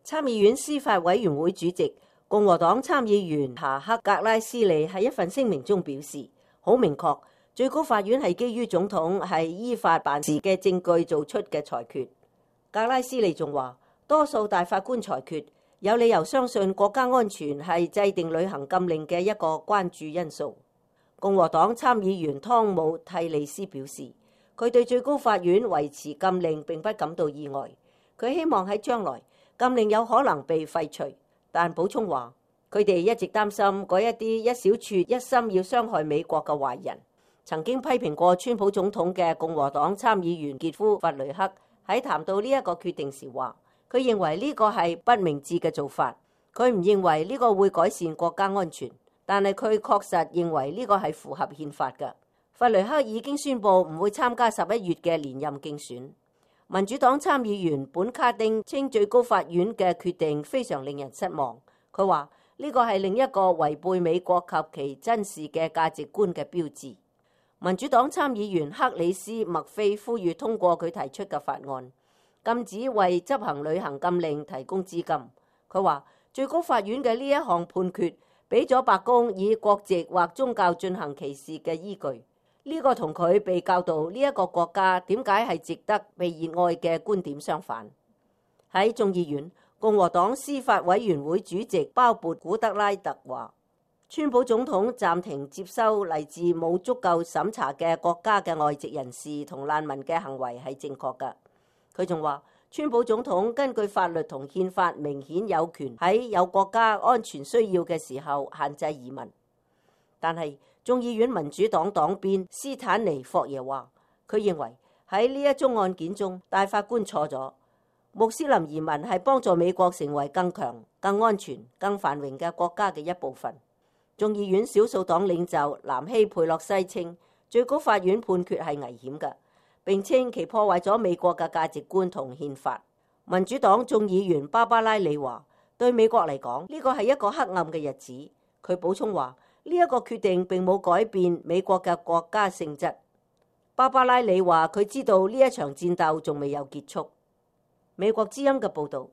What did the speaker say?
參議院司法委員會主席共和黨參議員查克·格拉斯利喺一份聲明中表示，好明確，最高法院係基於總統係依法辦事嘅證據做出嘅裁決。格拉斯利仲話，多數大法官裁決有理由相信國家安全係制定旅行禁令嘅一個關注因素。共和黨參議員湯姆·蒂利斯表示，佢對最高法院維持禁令並不感到意外，佢希望喺將來禁令有可能被廢除，但補充話，佢哋一直擔心嗰一啲一小撮一心要傷害美國嘅壞人。曾經批評過川普總統嘅共和黨參議員傑夫·弗雷克喺談到呢一個決定時話，佢認為呢個係不明智嘅做法，佢唔認為呢個會改善國家安全，但係佢確實認為呢個係符合憲法嘅。弗雷克已經宣布唔會參加11月嘅連任競選。民主黨參議員本卡丁稱最高法院嘅決定非常令人失望。佢話呢個係另一個違背美國及其真實嘅價值觀嘅標誌。民主黨參議員克里斯·麥菲呼籲通過佢提出嘅法案，禁止為執行旅行禁令提供資金。佢話最高法院嘅呢一項判決俾咗白宮以國籍或宗教進行歧視嘅依據。呢個同佢被教導呢一個國家點解係值得被熱愛嘅觀點相反。喺眾議院，共和黨司法委員會主席鮑勃古德拉特話，川普總統暫停接收嚟自冇足夠審查嘅國家嘅外籍人士同難民嘅行為係正確㗎。佢仲話，川普總統根據法律同憲法明顯有權喺有國家安全需要嘅時候限制移民。但係眾議院民主黨黨鞭斯坦尼霍耶話，佢認為喺呢一宗案件中，大法官錯咗。穆斯林移民係幫助美國成為更強、更安全、更繁榮嘅國家嘅一部分。眾議院少數黨領袖南希佩洛西稱，最高法院判決係危險嘅，並稱其破壞咗美國嘅價值觀同憲法。民主黨眾議員芭芭拉里話，對美國嚟講，呢個係一個黑暗嘅日子。佢補充話，呢一個決定並冇改變美國嘅國家性質。芭芭拉里話，佢知道呢一場戰鬥仲未有結束。美國之音嘅報導。